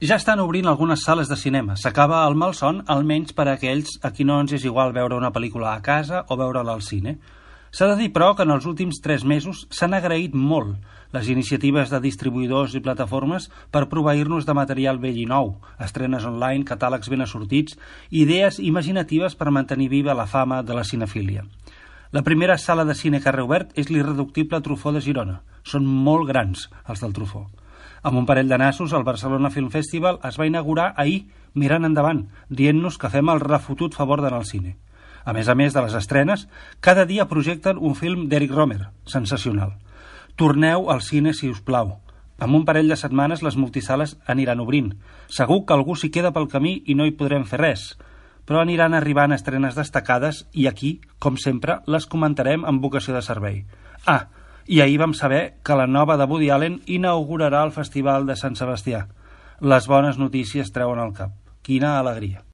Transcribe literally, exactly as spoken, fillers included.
Ja estan obrint algunes sales de cinema. S'acaba el malson, almenys per a aquells a qui no ens és igual veure una pel·lícula a casa o veure-la al cine. S'ha de dir, però, que en els últims tres mesos s'han agraït molt les iniciatives de distribuïdors i plataformes per proveir-nos de material vell i nou, estrenes online, catàlegs ben assortits, idees imaginatives per mantenir viva la fama de la cinefília. La primera sala de cine que ha reobert és l'irreductible Truffaut de Girona. Són molt grans, els del Truffaut. Amb un parell de nassos, el Barcelona Film Festival es va inaugurar ahir, mirant endavant, dient-nos que fem el refotut favor d'anar al cine. A més a més de les estrenes, cada dia projecten un film d'Eric Rohmer, sensacional. Torneu al cine, si us plau. En un parell de setmanes les multisales aniran obrint. Segur que algú s'hi queda pel camí i no hi podrem fer res, però aniran arribant estrenes destacades i aquí, com sempre, les comentarem amb vocació de servei. Ah, i ahir vam saber que la nova de Woody Allen inaugurarà el Festival de Sant Sebastià. Les bones notícies treuen al cap. Quina alegria!